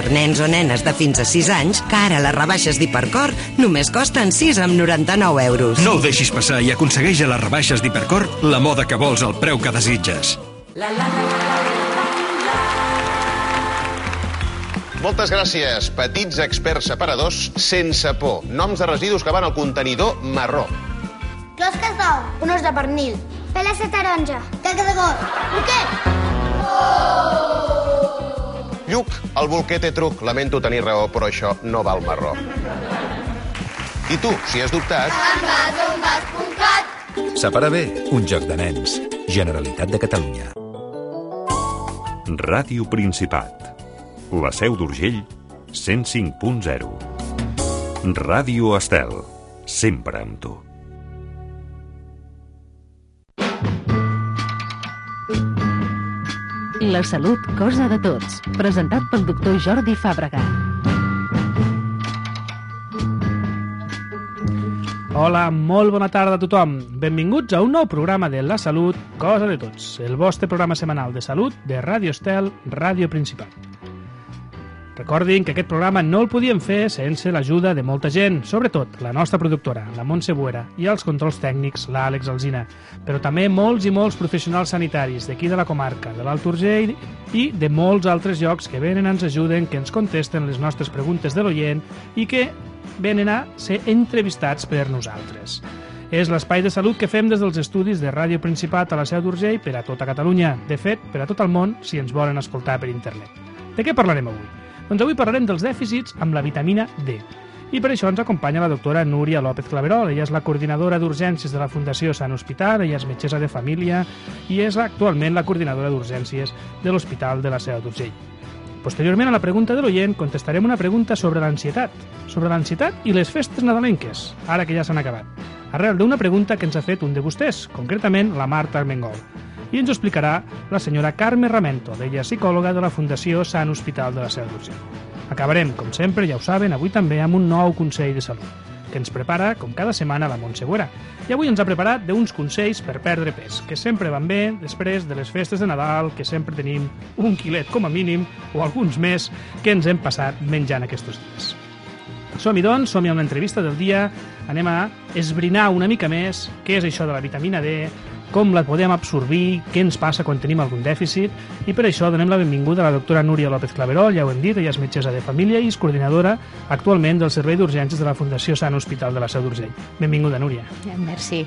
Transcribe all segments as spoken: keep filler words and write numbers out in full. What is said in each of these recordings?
per nens o nenes de fins a sis anys, que ara les rebaixes d'Hipercor només costen sis coma noranta-nou euros. No ho deixis passar i aconsegueix a les rebaixes d'Hipercor la moda que vols al preu que desitges. Moltes gràcies, petits experts separadors sense por. Noms de residus que van al contenidor marró. Closques d'ou, un os de pernil, peles de taronja, caca de got, bolquet! Lluc, el bolquer té truc. Lamento tenir raó, però això no val marró. I tu, si has dubtat... Envasongas punt cat. Separa bé, un joc de nens. Generalitat de Catalunya. Ràdio Principat. La Seu d'Urgell, cent cinc punt zero. Ràdio Estel, sempre amb tu. La salut, cosa de tots. Presentat pel doctor Jordi Fàbrega. Hola, molt bona tarda a tothom. Benvinguts a un nou programa de La Salut, cosa de tots. El vostre programa setmanal de salut de Ràdio Estel, Ràdio Principat. Recordin que aquest programa no el podíem fer sense l'ajuda de molta gent, sobretot la nostra productora, la Montse Buera, i els controls tècnics, l'Àlex Alsina, però també molts i molts professionals sanitaris d'aquí de la comarca, de l'Alt Urgell i de molts altres llocs que venen, ens ajuden, que ens contesten les nostres preguntes de l'oient i que venen a ser entrevistats per nosaltres. És l'espai de salut que fem des dels estudis de Ràdio Principat a la Seu d'Urgell per a tota Catalunya, de fet, per a tot el món, si ens volen escoltar per internet. De què parlarem avui? Doncs avui parlarem dels dèficits amb la vitamina D. I per això ens acompanya la doctora Núria López Claverol. Ella és la coordinadora d'urgències de la Fundació Sant Hospital, ella és metgessa de família i és actualment la coordinadora d'urgències de l'Hospital de la Seu d'Urgell. Posteriorment, a la pregunta de l'oient, contestarem una pregunta sobre l'ansietat. Sobre l'ansietat i les festes nadalenques, ara que ja s'han acabat. Arrel d'una pregunta que ens ha fet un de vostès, concretament la Marta Armengol. I ens ho explicarà la senyora Carme Ramento, ella és psicòloga de la Fundació Sant Hospital de la Seu d'Urgell. Acabarem, com sempre, ja ho saben, avui també amb un nou consell de salut, que ens prepara, com cada setmana, la Montse Buera. I avui ens ha preparat d'uns consells per perdre pes, que sempre van bé després de les festes de Nadal, que sempre tenim un quilet com a mínim, o alguns més, que ens hem passat menjant aquests dies. Som-hi, doncs, som-hi a una entrevista del dia, anem a esbrinar una mica més què és això de la vitamina D, com la podem absorbir, què ens passa quan tenim algun dèficit, i per això donem la benvinguda a la doctora Núria López Claverol, ja ho hem dit, ella és metgessa de família i és coordinadora actualment del Servei d'Urgències de la Fundació Sant Hospital de la Seu d'Urgell. Benvinguda, Núria. Merci.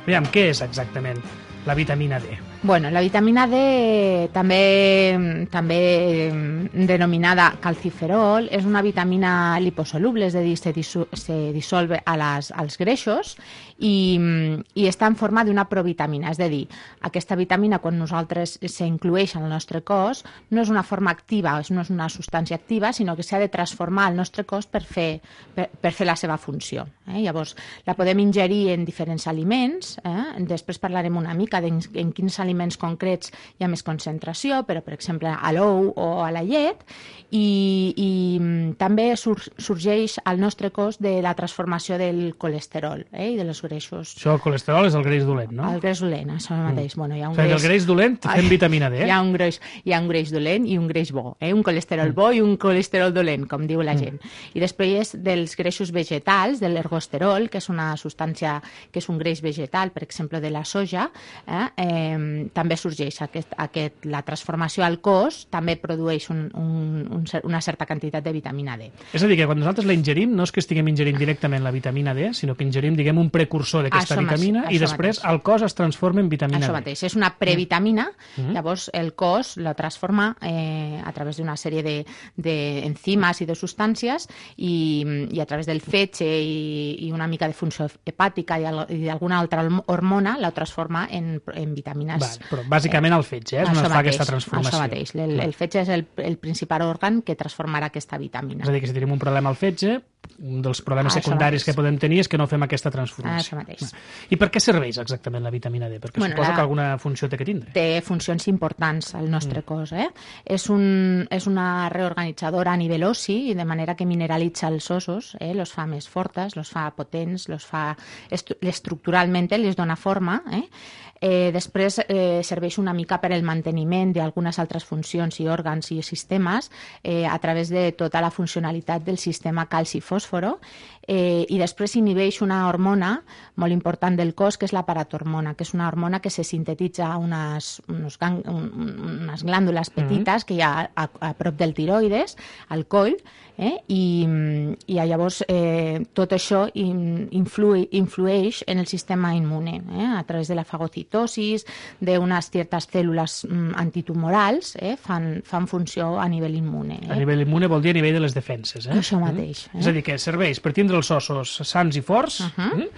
Aviam, què és exactament la vitamina D? Bueno, la vitamina D, també, també denominada calciferol, és una vitamina liposoluble, és a dir, se, dissol, se dissolve a les, als greixos i, i està en forma d'una provitamina, és a dir, aquesta vitamina quan nosaltres s'inclueix en el nostre cos no és una forma activa, no és una substància activa, sinó que s'ha de transformar al nostre cos per fer, per, per fer la seva funció. Eh? Llavors, la podem ingerir en diferents aliments, eh? Després parlarem una mica de en quins aliments concrets hi ha més concentració, però per exemple a l'ou o a la llet, i, i també sur, sorgeix al nostre cos de la transformació del colesterol, eh? I de les greixos. Això, el colesterol és el greix dolent, no? El greix dolent, això mateix. Mm. Bueno, hi ha un o sigui, greix... el greix dolent fem vitamina D. Hi ha un greix, hi ha un greix dolent i un greix bo, eh? Un colesterol mm. bo i un colesterol dolent, com diu la gent. Mm. I després dels greixos vegetals, de l'ergosterol, que és una substància que és un greix vegetal, per exemple, de la soja, eh? Eh, també sorgeix aquest, aquest, la transformació al cos, també produeix un, un, un, una certa quantitat de vitamina D. És a dir, que quan nosaltres la ingerim, no és que estiguem ingerint directament la vitamina D, sinó que ingerim, diguem, un precursor d'aquesta vitamina i després mateix. El cos es transforma en vitamina això D. Això mateix, és una previtamina, mm. llavors el cos la transforma eh, a través d'una sèrie d'enzimes de, i de substàncies i, i a través del fetge i, i una mica de funció hepàtica i, i d'alguna altra hormona la transforma en, en vitamines. Val, però bàsicament el fetge, eh? És on es fa mateix, aquesta transformació. Això mateix, el, el fetge és el, el principal òrgan que transformarà aquesta vitamina. És a dir, que si tenim un problema al fetge, un dels problemes Això secundaris mateix. que podem tenir és que no fem aquesta transformació. Això mateix. I per què serveix exactament la vitamina D? Perquè Bueno, suposo la- que alguna funció té que tindre. Té funcions importants al nostre mm. cos. Eh? És, un, és una reorganitzadora a nivell ossi, i de manera que mineralitza els ossos, eh? los fa més fortes, los fa potents, los fa estru estructuralment, les dona forma. Eh? Eh, després eh, serveix una mica per el manteniment d'algunes altres funcions i òrgans i sistemes eh, a través de tota la funcionalitat del sistema calci-fòsforo, eh, i després inhibeix una hormona molt important del cos, que és la paratormona, que és una hormona que se sintetitza a unes, unes, gang, un, unes glàndules petites mm-hmm. que hi ha a, a prop del tiroides, al coll, eh? I, i llavors eh, tot això influi, influeix en el sistema immune, eh? A través de la fagocitosis, d'unes certes cèl·lules mm, antitumorals, eh? fan, fan funció a nivell immune. Eh? A nivell immune vol dir a nivell de les defenses. Eh? Això mateix. Eh? És a dir, que serveix per tindre els ossos sants i forts, Uh-huh. eh?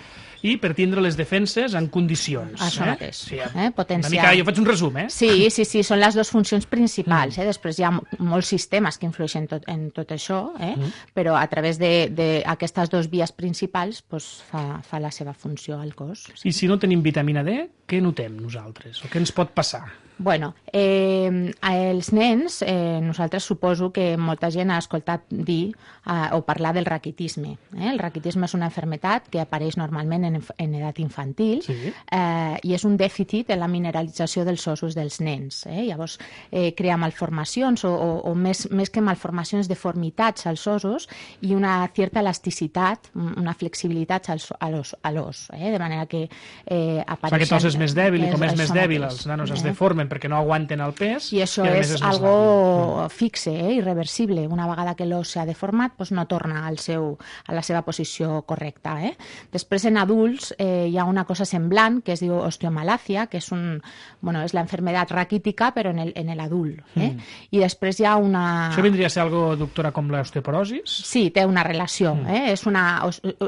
i per tindre les defenses en condicions. Això eh? mateix. Sí, Eh? Potenciar... Una mica, jo faig un resum, eh? Sí, sí, sí, són les dues funcions principals. Eh? Després hi ha molts sistemes que influeixen tot, en tot això, eh? mm. però a través d'aquestes dues vies principals pues, fa, fa la seva funció al cos. I si no tenim vitamina D, què notem nosaltres? O què ens pot passar? Bueno, eh, els nens, eh, nosaltres suposo que molta gent ha escoltat dir eh, o parlar del raquitisme. Eh? El raquitisme és una malaltia que apareix normalment en, en edat infantil sí. eh, i és un dèficit en la mineralització dels ossos dels nens. Eh? Llavors, eh, crea malformacions o, o, o més, més que malformacions, deformitats als ossos i una certa elasticitat, una flexibilitat als, a l'os, a l'os eh? de manera que eh, apareixen... Aquest os és més dèbil i com és, és més dèbil mateix. Els nanos eh? es Eh? deformen perquè no aguanten el pes. I això i és, és algo fixe, eh? irreversible. Una vegada que l'os s'ha deformat, doncs no torna al seu, a la seva posició correcta. Eh? Després, en adults, eh, hi ha una cosa semblant que es diu osteomalàcia, que és, un, bueno, és la enfermedad raquítica, però en el, en el adult. Eh? Mm. I després hi ha una... Això vindria a ser algo, doctora, com l'osteoporosis? Sí, té una relació. Mm. Eh? És, una,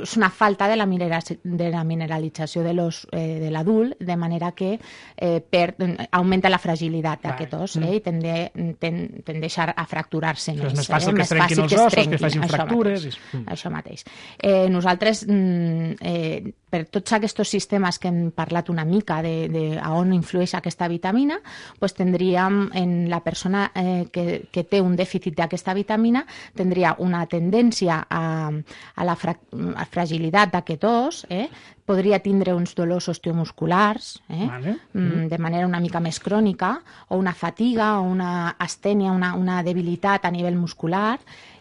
és una falta de la, minera, de la mineralització de l'os eh, de l'adult, de manera que eh, per, augmenta la fragilitat d'aquest os eh? i tende, ten, tendeix a fracturar-se més. És més fàcil eh? que es trenquin els ossos, que es facin això fractures. Mateix, mm. Això mateix. Eh, nosaltres, eh, per tots aquests sistemes que hem parlat una mica de, de a on influeix aquesta vitamina, pues tindríem en la persona eh, que, que té un dèficit d'aquesta vitamina, tindria una tendència a, a la fra, a fragilitat d'aquest os, eh? podria tindre uns dolors osteomusculars, eh? vale. mm, de manera una mica més crònica, o una fatiga, o una astènia, una, una debilitat a nivell muscular.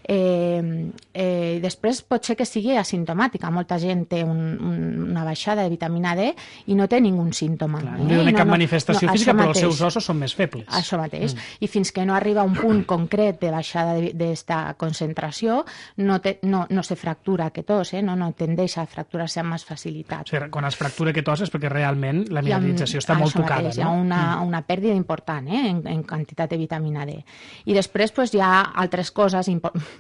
Eh, eh, després pot ser que sigui asimptomàtica. Molta gent té un, un, una baixada de vitamina D i no té ningú símptoma. Clar, eh? no té no, cap no, manifestació no, física, però mateix. els seus ossos són més febles. Això mateix. Mm. I fins que no arriba a un punt concret de baixada d'esta concentració, no, te, no, no se fractura aquest os, eh? no, no tendeix a fracturar-se amb més facilitat. O sigui, quan es fractura aquest os és perquè realment la mineralització està molt tocada. Mateix, no? Hi ha una, mm. una pèrdua important eh? en, en quantitat de vitamina D. I després pues, hi ha altres coses,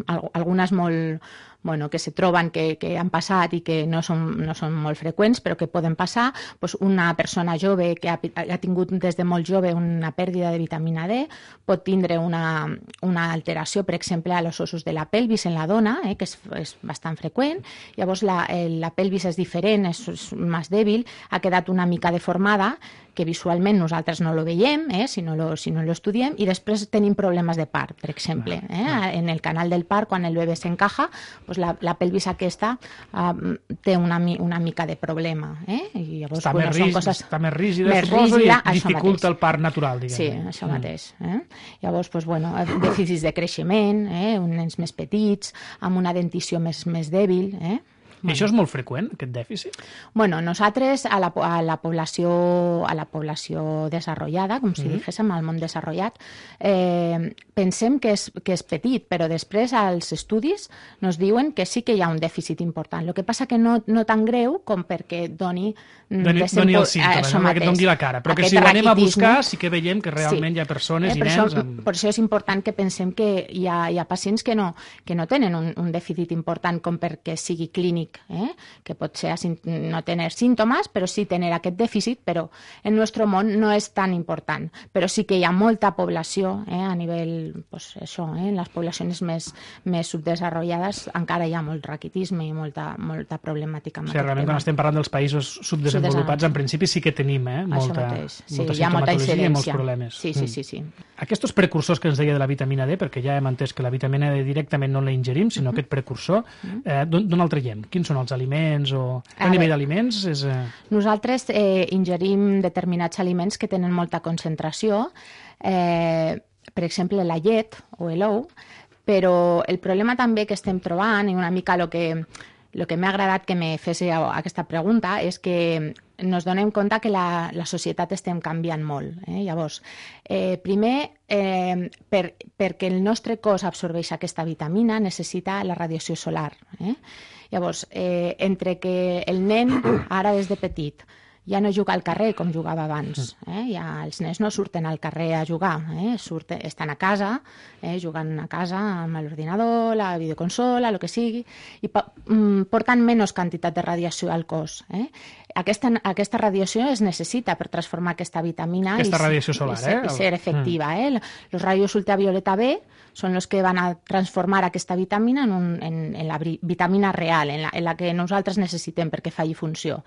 algunes molt, bueno, que se troben que, que han passat i que no són, no són molt freqüents, però que poden passar. Pues una persona jove que ha, ha tingut des de molt jove una pèrdua de vitamina D pot tindre una, una alteració, per exemple, a los ossos de la pelvis en la dona, eh, que és, és bastant freqüent. Llavors la, el, la pelvis és diferent, és, és més dèbil, ha quedat una mica deformada, que visualment nosaltres no lo veiem, eh, si no lo, si no lo estudiem, i després tenim problemes de part, per exemple. Eh? En el canal del part, quan el bebè s'encaja, pues la, la pelvis aquesta uh, té una, una mica de problema. Eh? I llavors, està, bueno, més rígida, coses està més rígida, més suposo, rígida, i dificulta el part natural, diguem. Sí, això mm. mateix. Eh? Llavors, pues, bueno, dèficits de creixement, eh? uns nens més petits, amb una dentició més, més dèbil, eh? I això és molt freqüent, aquest dèficit? Bueno, nosaltres a la, a la població a la població desenvolupada, com si mm-hmm. diguéssim, al món desenvolupat, eh, pensem que és, que és petit, però després als estudis nos diuen que sí que hi ha un dèficit important. El que passa que no, no tan greu com perquè doni... Doni, doni els símptomes, no? Que doni la cara. Però que si ho anem a buscar sí que veiem que realment sí. hi ha persones eh, i nens... Això, amb... Per això és important que pensem que hi ha, hi ha pacients que no, que no tenen un, un dèficit important com perquè sigui clínic crònic, eh? que pot ser no tenir símptomes, però sí tenir aquest dèficit, però en el nostre món no és tan important. Però sí que hi ha molta població, eh? a nivell, pues, això, eh? en les poblacions més, més subdesenvolupades encara hi ha molt raquitisme i molta, molta problemàtica. O sigui, realment, quan estem parlant dels països subdesenvolupats, en principi sí que tenim eh? molta, sí, molta hi ha molta sintomatologia i molts problemes. Sí, sí, sí, sí. Aquests precursors que ens deia de la vitamina D, perquè ja hem entès que la vitamina D directament no la ingerim, sinó uh -huh. aquest precursor, eh, d'on el traiem? Quins són els aliments? O... A, a nivell d'aliments? És, eh... Nosaltres eh, ingerim determinats aliments que tenen molta concentració, eh, per exemple, la llet o l'ou, però el problema també que estem trobant, i una mica el que, lo que m'ha agradat que me fes aquesta pregunta, és que ens donem compte que la, la societat estem canviant molt. Eh? Llavors, eh, primer, eh, per, perquè el nostre cos absorbeix aquesta vitamina, necessita la radiació solar. Eh? Llavors, eh, entre que el nen, ara des de petit, ja no juga al carrer com jugava abans. Eh? Ja els nens no surten al carrer a jugar, eh? Surten, estan a casa, eh? jugant a casa amb l'ordinador, la videoconsola, el que sigui, i porten menys quantitat de radiació al cos. Eh? Aquesta, aquesta radiació es necessita per transformar aquesta vitamina aquesta i, radiació solar, i, ser, eh? i ser efectiva. Mm. Eh? Els rayos ultravioleta B són els que van a transformar aquesta vitamina en, un, en, en la vitamina real, en la, en la que nosaltres necessitem perquè faci funció.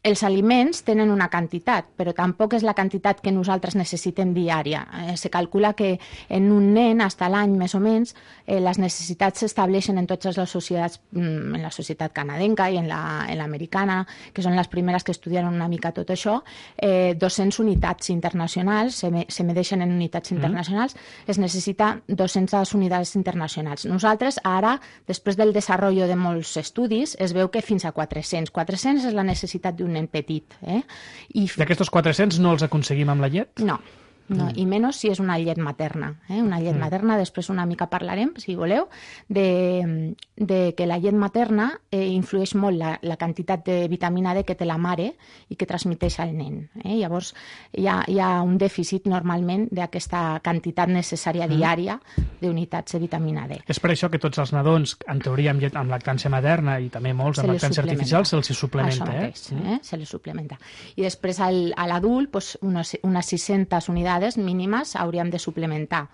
Els aliments tenen una quantitat, però tampoc és la quantitat que nosaltres necessitem diària. Eh, se calcula que en un nen, fins a l'any més o menys, eh, les necessitats s'estableixen en totes les societats, en la societat canadenca i en l'americana, la, que són les primeres que estudien una mica tot això, eh, dues-centes unitats internacionals, se, me, se medeixen en unitats internacionals, mm. es necessita dues-centes unitats internacionals. Nosaltres, ara, després del desenvolupament de molts estudis, es veu que fins a quatre-cents. quatre-cents és la necessitat d'un nen petit. Eh? I... D'aquestos quatre-cents no els aconseguim amb la llet? No. No, mm. i menys si és una llet materna. Eh? Una llet mm. materna, després una mica parlarem, si voleu, de, de que la llet materna eh, influeix molt la, la quantitat de vitamina D que té la mare i que transmeteix al nen. Eh? Llavors, hi ha, hi ha un dèficit normalment d'aquesta quantitat necessària mm. diària d'unitats de vitamina D. És per això que tots els nadons, en teoria amb, llet, amb lactància materna i també molts amb lactància artificial, se'ls suplementa. Això mateix, eh? eh? Se li suplementa. I després al, a l'adult, pues, unes, unes sis-centes unitats mínimes hauríem de suplementar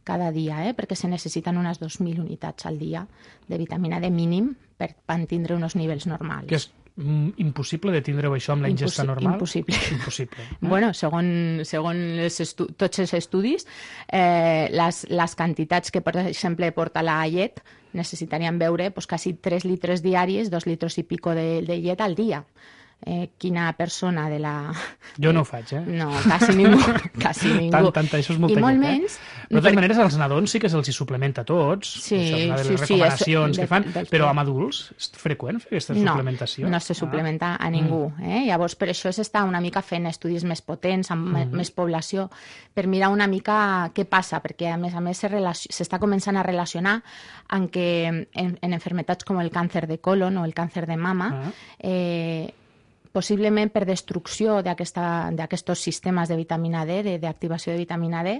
cada dia, eh? perquè se necessiten unes dos mil unitats al dia de vitamina D mínim per tindre uns nivells normals. Que és mm, impossible de tindre això amb la ingesta Impossi normal? Impossible. Impossible. Eh? Bueno, segons, segons tots els estudis, eh, les, les quantitats que, per exemple, porta la llet necessitarien beure pues, quasi tres litres diaris, dos litres i pico de, de llet al dia. Eh, quina persona de la... Jo no ho faig, eh? No, quasi ningú. Quasi ningú. Tant, tant, això és molta I molt llet, menys... Eh? De totes per... maneres, als nadons sí que se'ls suplementa a tots. Sí, això és una de les sí, recomanacions sí, que fan, de, de, però amb adults és freqüent fer aquesta no, suplementació? No, no se suplementa ah. a ningú. Eh? Llavors, per això s'està una mica fent estudis més potents, amb mm. més població, per mirar una mica què passa, perquè a més a més s'està començant a relacionar amb que en, en enfermetats com el càncer de colon o el càncer de mama, ah. eh, possiblement per destrucció d'aquests sistemes de vitamina D, d'activació de, de vitamina D,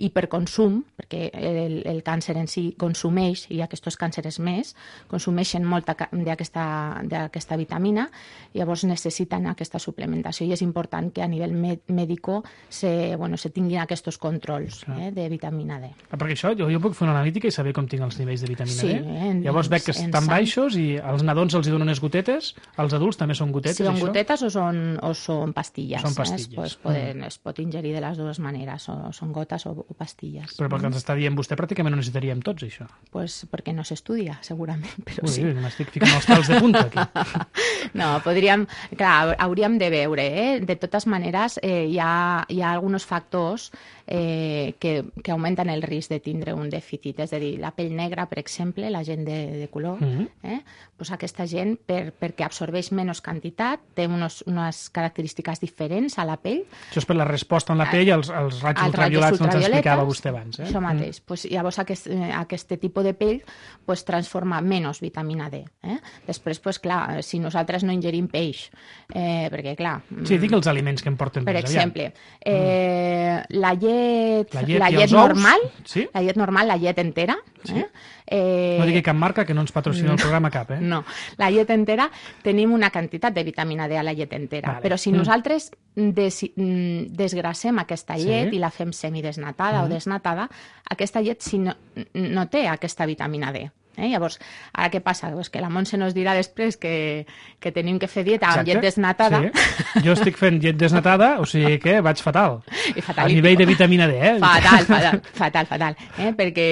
i per consum, perquè el, el càncer en si consumeix, i aquests cànceres més, consumeixen molta d'aquesta vitamina, llavors necessiten aquesta suplementació, i és important que a nivell mèdico se, bueno, se tinguin aquests controls eh, de vitamina D. Perquè això, jo, jo puc fer una analítica i saber com tinc els nivells de vitamina sí, D. En, llavors veig que estan baixos i als nadons els donen unes gotetes, als adults també són gotetes, sí, això? O són, o són pastilles. Són pastilles. Eh? Es, poden, mm. es pot ingerir de les dues maneres, o són gotes o, o pastilles. Però pel que ens està dient vostè, pràcticament no necessitaríem tots, això. Pues perquè no s'estudia, segurament, però Ui, sí. M'estic ficant els pèls de punta, aquí. No, podríem... Clar, hauríem de veure, eh? De totes maneres, eh, hi, ha, hi ha alguns factors eh, que, que augmenten el risc de tindre un dèficit. És a dir, la pell negra, per exemple, la gent de, de color, mm -hmm. eh? pues aquesta gent, per, perquè absorbeix menys quantitat, té unos, unes característiques diferents a la pell. Això és per la resposta en la pell als, als raigs ultraviolats que ens explicava vostè abans. Eh? Això mateix. Mm. Pues, llavors aquest, eh, aquest tipus de pell pues, transforma menys vitamina D. Eh? Després, pues, clar, si nosaltres no ingerim peix, eh, perquè clar... Sí, dic els aliments que em porten per més exemple, eh, mm. la llet, la llet, la llet normal, sí? la llet normal, la llet entera, sí. eh? Eh... No digui cap marca que no ens patrocina el programa cap, eh? No, la llet entera tenim una quantitat de vitamina D a la llet entera, vale. Però si nosaltres des, desgracem aquesta llet sí. i la fem semidesnatada mm. o desnatada, aquesta llet si no, no té aquesta vitamina D. Eh? Llavors, ara què passa? Pues que la Montse nos dirà després que, que tenim que fer dieta amb llet desnatada. Sí. Jo estic fent llet desnatada, o sigui que vaig fatal. fatal a nivell de vitamina D, eh? Fatal, fatal, fatal, fatal. Eh? Perquè,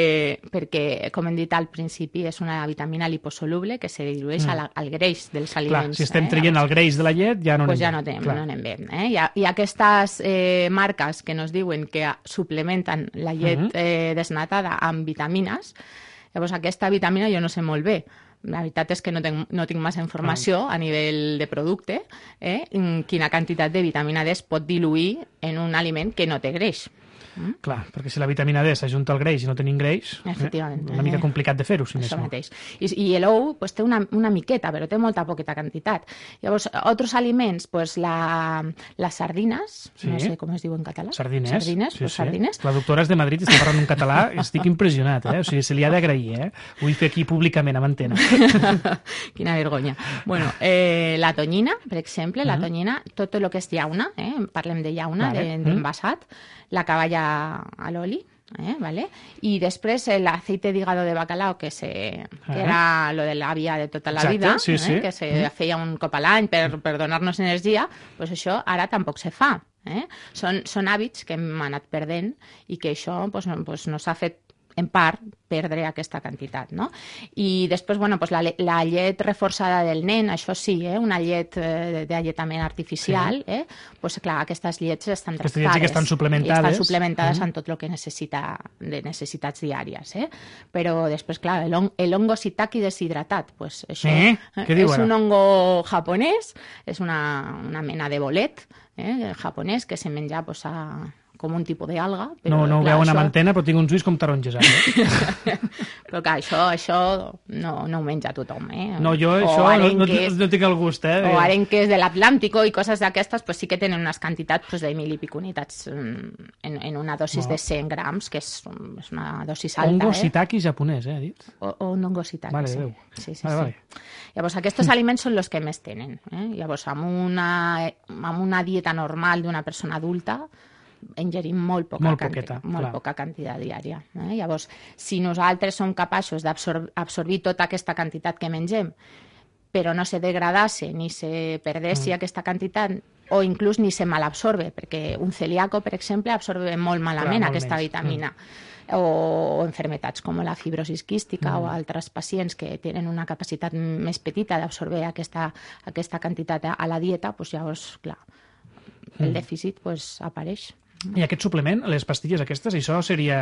perquè, com hem dit al principi, és una vitamina liposoluble que se dilueix mm. al, al greix dels aliments. Clar, si estem eh? traient el greix de la llet, ja no pues anem ja no bé. Anem, no anem bé. Eh? I, I aquestes eh, marques que nos diuen que suplementen la llet mm-hmm. eh, desnatada amb vitamines, llavors, aquesta vitamina jo no sé molt bé. La veritat és que no tinc, no tinc massa informació a nivell de producte, eh? Quina quantitat de vitamina D es pot diluir en un aliment que no té greix. Mm? Clar, perquè si la vitamina D s'ajunta al greix i no tenim greix, eh? una mica complicat de fer-ho, si més no. Mateix. I, i l'ou pues, té una, una miqueta, però té molta poqueta quantitat. Llavors, altres aliments, pues, la, les sardines, sí. no sé com es diu en català. Sardines. Sardines, sí, pues, sí. sardines. La doctora és de Madrid i està parlant un català, estic impressionat, eh? O sigui, se li ha d'agrair, eh? Ho vull fer aquí públicament, amb antena. Quina vergonya. Bueno, eh, la tonyina, per exemple, la tonyina, tot el que és llauna, eh? Parlem de llauna, vale. d'envasat, la cavalla a l'oli, eh, vale? I després l'aceite d'hígado de bacalao, que, se, que ah. era lo de l'àvia de tota la Exacte, vida, sí, sí. Eh, que se mm. feia un cop a l'any per, per donar-nos energia, pues això ara tampoc se fa. Eh? Són, són hàbits que hem anat perdent i que això pues, no, pues, no s'ha fet en part, perdre aquesta quantitat, no? I després, bueno, pues la, la llet reforçada del nen, això sí, eh? Una llet eh, d'alletament artificial, sí. eh? Pues clar, aquestes llets estan aquestes llets sí que estan suplementades. Estan suplementades mm. en tot el que necessita de necessitats diàries, eh? Però després, clar, el hongo shiitake deshidratat, pues això eh? Què diu és ara? un hongo japonès, és una, una mena de bolet eh? japonès que se menja pues, a com un tipus d'alga. No, no ho veuen això... amb antena, però tinc uns ulls com taronges. Eh? Però clar, això, això no, no ho menja tothom. Eh? No, jo o això arenques, no, no, no tinc el gust. Eh? O arenques de l'Atlàntico i coses d'aquestes, pues sí que tenen unes quantitats pues, de mil i pico unitats en, en una dosis no. de cent grams, que és, és una dosis alta. Hongo eh? shiitake japonès, eh, ha dit? O, o un hongo shiitake, vale, sí. Déu. Sí, sí, vale, sí. Vale. Llavors, aquests aliments són els que més tenen. Eh? Llavors, amb una, amb una dieta normal d'una persona adulta, ingerim molt poca, molt quanti poqueta, molt poca quantitat diària. Eh? Llavors, si nosaltres som capaços d'absorbir tota aquesta quantitat que mengem, però no se degradase ni se perdessi mm. aquesta quantitat, o inclús ni se malabsorbe, perquè un celíaco, per exemple, absorbe molt malament Clar, molt aquesta menys. vitamina. Mm. O, o enfermetats com la fibrosis quística mm. o altres pacients que tenen una capacitat més petita d'absorbir aquesta, aquesta quantitat a la dieta, doncs llavors, clar, el dèficit pues, apareix. I aquest suplement, les pastilles aquestes, això seria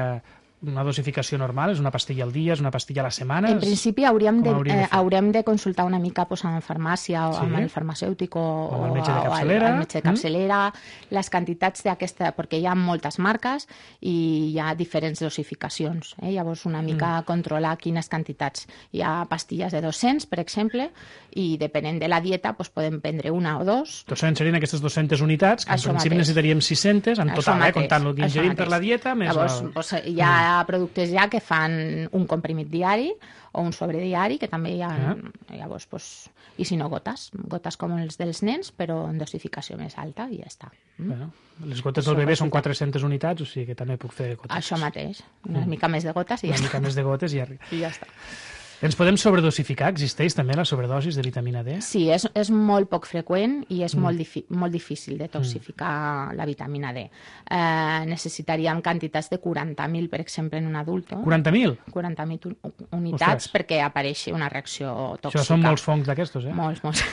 una dosificació normal? És una pastilla al dia, és una pastilla a la setmana? En principi hauríem de, hauríem de, eh, haurem de consultar una mica pues, amb farmàcia o sí. amb el farmacèutic o, o amb el metge de capçalera, o el, el metge de capçalera mm. les quantitats d'aquesta, perquè hi ha moltes marques i hi ha diferents dosificacions. Eh? Llavors una mica mm. controlar quines quantitats. Hi ha pastilles de dos-cents, per exemple, i depenent de la dieta pues, podem prendre una o dos. dos-cents serien aquestes dues-centes unitats, que en Això principi mateix. necessitaríem sis-cents, en Això total, mateix. eh, comptant el que ingerim per la dieta. Més Llavors, el... pues, hi ha mm. productes ja que fan un comprimit diari o un sobrediari, que també hi ha, ah. llavors, pues, i si no, gotes, gotes com els dels nens, però en dosificació més alta i ja està. Mm? Bueno, les gotes del bebè són quatre-centes unitats, o sigui que també puc fer gotes. Això mateix, una mm. mica més de gotes i ja una està. Una mica més de gotes i ja arriba. I ja està. Ens podem sobredosificar? Existeix també la sobredosis de vitamina D? Sí, és, és molt poc freqüent i és mm. molt, difi molt difícil de toxificar mm. la vitamina D. Eh, necessitaríem quantitats de quaranta mil, per exemple, en un adult. quaranta mil? quaranta mil unitats Ostres. perquè apareixi una reacció tòxica. Això són molts fongs d'aquestos, eh? Molts, molts.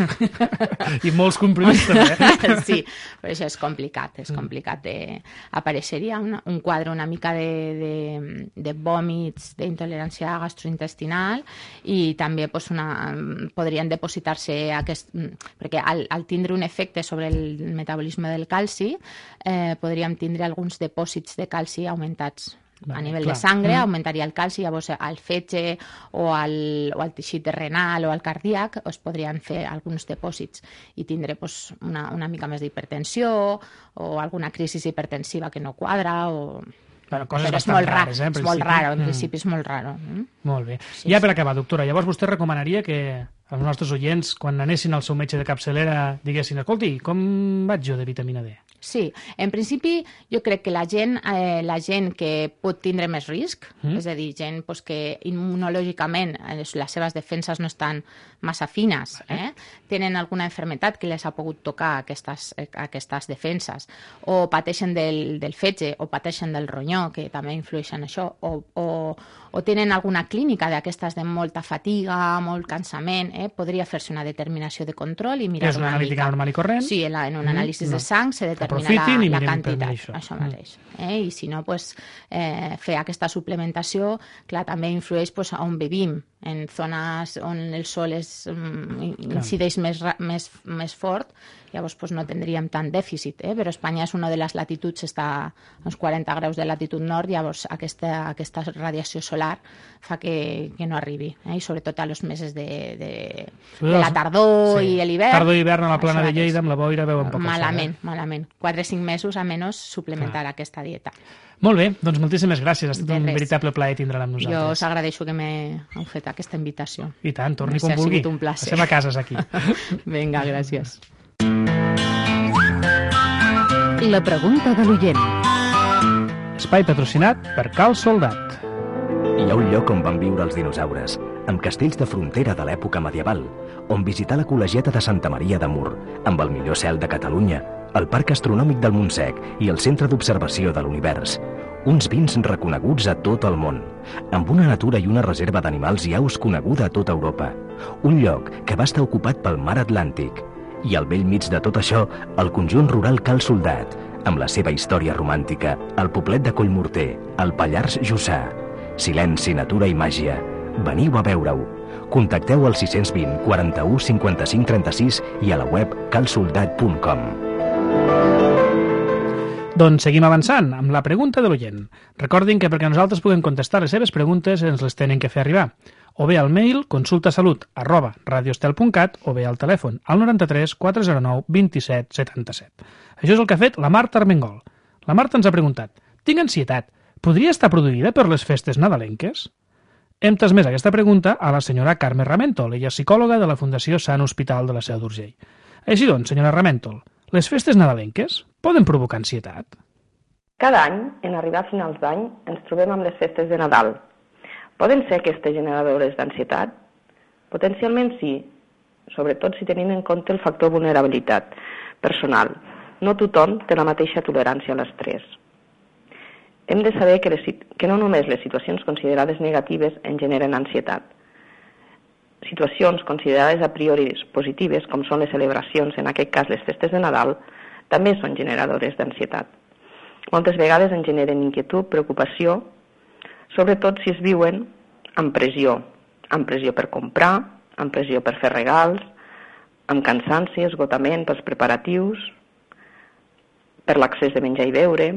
I molts comprimits, també. Eh? Sí, però això és complicat, és complicat. De... Apareixeria una, un quadre una mica de, de, de vòmits, d'intolerància gastrointestinal i també pues, una, podrien depositar-se aquest, perquè al, al tindre un efecte sobre el metabolisme del calci eh, podríem tindre alguns depòsits de calci augmentats. Vale, a nivell clar. de sangre mm. augmentaria el calci, llavors al fetge o al, o al teixit renal o al cardíac es podrien fer alguns depòsits i tindre pues, una, una mica més d'hipertensió o alguna crisi hipertensiva que no quadra o... Bueno, coses Però és bastant molt rares, eh, és molt raro, en mm. principi és molt raro. Mm? Molt bé. Sí, ja sí. per acabar, doctora, llavors vostè recomanaria que els nostres oients, quan anessin al seu metge de capçalera, diguessin, escolti, com vaig jo de vitamina D? Sí, en principi jo crec que la gent, eh, la gent que pot tindre més risc, mm. és a dir, gent pues, que immunològicament eh, les seves defenses no estan massa fines, eh? tenen alguna malaltia que les ha pogut tocar aquestes, eh, aquestes defenses, o pateixen del, del fetge, o pateixen del ronyó, que també influeix en això, o, o, o tenen alguna clínica d'aquestes de molta fatiga, molt cansament, eh? podria fer-se una determinació de control i mirar és una, una analítica mica. normal i corrent? Sí, en, la, en un anàlisi mm, no. de sang se determina Aprofitin la, i la quantitat, això, això mateix. Eh? I si no, pues, eh, fer aquesta suplementació, clar, també influeix pues, on vivim, en zones on el sol és, um, incideix més, més, més fort, llavors pues, no tindríem tant dèficit, eh? però Espanya és una de les latituds, està a uns quaranta graus de latitud nord, llavors aquesta, aquesta radiació solar fa que, que no arribi, eh? i sobretot a los mesos de, de, de la tardor sí. i l'hivern. Tardor i hivern a la plana de Lleida, amb la boira, veuen poc malament, sol, eh? malament. quatre o cinc mesos a menys suplementar Clar. aquesta dieta. Molt bé, doncs moltíssimes gràcies. Ha estat un veritable plaer tindre-la amb nosaltres. Jo us agraeixo que m'heu fet aquesta invitació. I tant, torni com vulgui. Un placer. Passem a cases aquí. Vinga, gràcies. La pregunta de l'oient. Espai patrocinat per Cal Soldat. Hi ha un lloc on van viure els dinosaures, amb castells de frontera de l'època medieval, on visitar la col·legiata de Santa Maria de Mur, amb el millor cel de Catalunya, el Parc Astronòmic del Montsec i el Centre d'Observació de l'Univers. Uns vins reconeguts a tot el món, amb una natura i una reserva d'animals i aus coneguda a tota Europa. Un lloc que va estar ocupat pel mar Atlàntic. I al vell mig de tot això, el conjunt rural Cal Soldat, amb la seva història romàntica, el poblet de Collmorter, el Pallars Jussà. Silenci, natura i màgia. Veniu a veure-ho. Contacteu al sis cents vint, quaranta-u, cinquanta-cinc, trenta-sis i a la web cal soldat punt com. Doncs seguim avançant amb la pregunta de l'oient. Recordin que perquè nosaltres puguem contestar les seves preguntes ens les tenen que fer arribar. O bé al mail consultasalut arroba radioestel punt cat o bé al telèfon al noranta-tres quatre zero nou vint-i-set setanta-set. Això és el que ha fet la Marta Armengol. La Marta ens ha preguntat: tinc ansietat, podria estar produïda per les festes nadalenques? Hem transmès aquesta pregunta a la senyora Carme Ramentol, ella és psicòloga de la Fundació Sant Hospital de la Seu d'Urgell. Així doncs, senyora Ramentol, les festes nadalenques poden provocar ansietat? Cada any, en arribar a finals d'any, ens trobem amb les festes de Nadal. Poden ser aquestes generadores d'ansietat? Potencialment sí, sobretot si tenim en compte el factor vulnerabilitat personal. No tothom té la mateixa tolerància a l'estrès. Hem de saber que, les, que no només les situacions considerades negatives en generen ansietat. Situacions considerades a priori positives, com són les celebracions, en aquest cas les festes de Nadal, també són generadores d'ansietat. Moltes vegades en generen inquietud, preocupació, sobretot si es viuen amb pressió, amb pressió per comprar, amb pressió per fer regals, amb cansanci, esgotament pels preparatius, per l'accés de menjar i beure.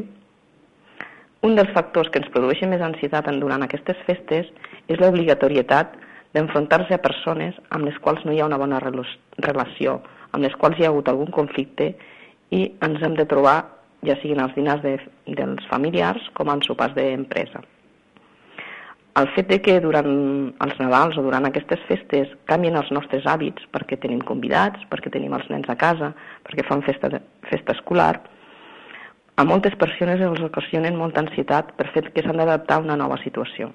Un dels factors que ens produeixen més ansietat durant aquestes festes és l'obligatorietat d'enfrontar-se a persones amb les quals no hi ha una bona relació, amb les quals hi ha hagut algun conflicte i ens hem de trobar, ja siguin els dinars de, dels familiars com en sopars d'empresa. El fet de que durant els Nadals o durant aquestes festes canvien els nostres hàbits perquè tenim convidats, perquè tenim els nens a casa, perquè fan festa, de, festa escolar, a moltes persones els ocasionen molta ansietat per fet que s'han d'adaptar a una nova situació.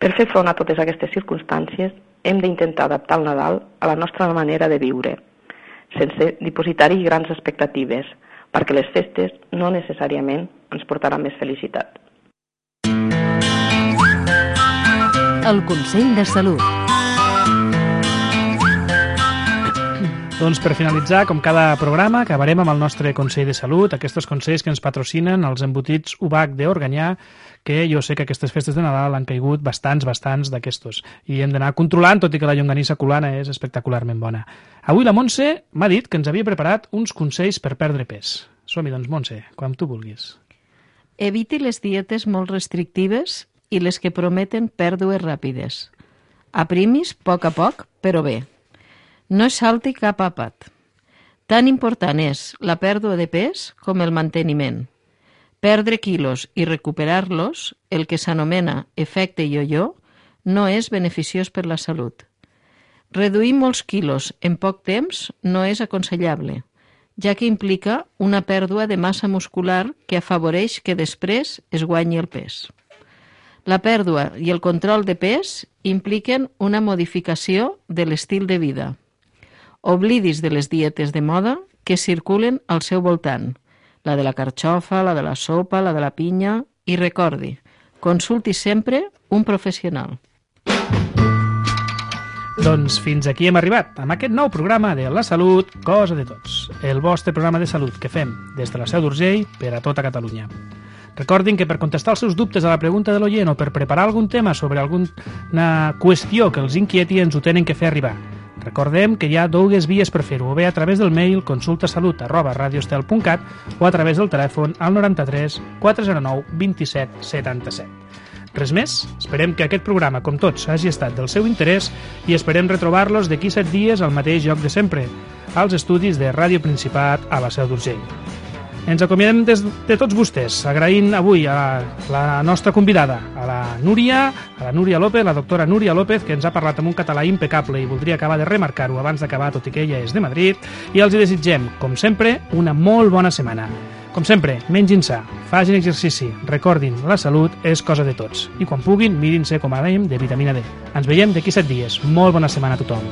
Per fer front a totes aquestes circumstàncies, hem d'intentar adaptar el Nadal a la nostra manera de viure, sense dipositar-hi grans expectatives, perquè les festes no necessàriament ens portaran més felicitat. El Consell de Salut. Doncs per finalitzar, com cada programa, acabarem amb el nostre Consell de Salut, aquests consells que ens patrocinen els embotits U B A C d'Organyà, que jo sé que aquestes festes de Nadal han caigut bastants, bastants d'aquestos. I hem d'anar controlant, tot i que la llonganissa colana és espectacularment bona. Avui la Montse m'ha dit que ens havia preparat uns consells per perdre pes. Som-hi, doncs, Montse, quan tu vulguis. Eviti les dietes molt restrictives i les que prometen pèrdues ràpides. Aprimis poc a poc, però bé. No es salti cap àpat. Tan important és la pèrdua de pes com el manteniment. Perdre quilos i recuperar-los, el que s'anomena efecte yo-yo, no és beneficiós per la salut. Reduir molts quilos en poc temps no és aconsellable, ja que implica una pèrdua de massa muscular que afavoreix que després es guanyi el pes. La pèrdua i el control de pes impliquen una modificació de l'estil de vida. Oblidis de les dietes de moda que circulen al seu voltant, la de la carxofa, la de la sopa, la de la pinya, i recordi, consulti sempre un professional. Doncs fins aquí hem arribat, amb aquest nou programa de La Salut, Cosa de Tots, el vostre programa de salut que fem des de la Seu d'Urgell per a tota Catalunya. Recordin que per contestar els seus dubtes a la pregunta de l'oient o per preparar algun tema sobre alguna qüestió que els inquieti ens ho tenen que fer arribar. Recordem que hi ha dues vies per fer-ho, o bé a través del mail consultasalut arroba radioestel punt cat o a través del telèfon al noranta-tres quatre zero nou vint set setanta-set. Res més, esperem que aquest programa, com tots, hagi estat del seu interès i esperem retrobar-los d'aquí set dies al mateix lloc de sempre, als estudis de Ràdio Principat a la Seu d'Urgell. Ens acomiadem des de tots vostès, agraint avui a la nostra convidada, a la Núria, a la Núria López, la doctora Núria López, que ens ha parlat amb un català impecable i voldria acabar de remarcar-ho abans d'acabar, tot i que ella és de Madrid, i els hi desitgem, com sempre, una molt bona setmana. Com sempre, mengin sa, facin exercici, recordin, la salut és cosa de tots. I quan puguin, mirin-se, com a dèiem, de vitamina D. Ens veiem d'aquí set dies. Molt bona setmana a tothom.